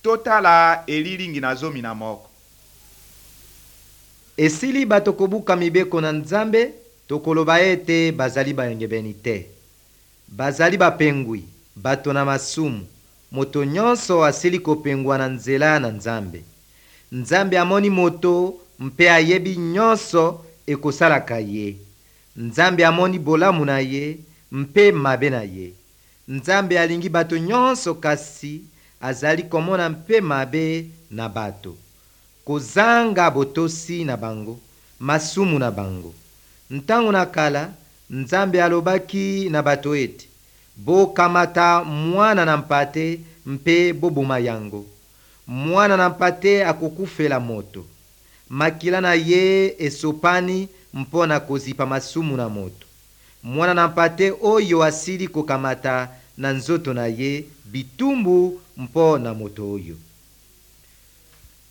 Totala elilingi na 11. Esili bato kobuka mibeko na Nzambe, tokoloba ete bazali bayengebeni te. Bazali bapengwi, bato na masumu. Moto nyonso asili kopengwa na nzela na Nzambe. Nzambe amoni moto mpe ayebi nyonso ekosalaka ye. Nzambe amoni bolamu na ye mpe mabe na ye. Nzambe alingi bato nyonso, kasi azali komona mpe mabe na bato, kozanga botosi na bango, masumu na bango. Ntango na kala, Nzambe alobaki na bato ete: bokamata mwana na mpate mpe boboma yango. Mwana na mpate akokufela moto. Makila na ye esopani mpo na kozipa masumu na moto. Mwana na mpate oyo asili kokamata na nzoto na ye bitumbu mpo na moto oyo.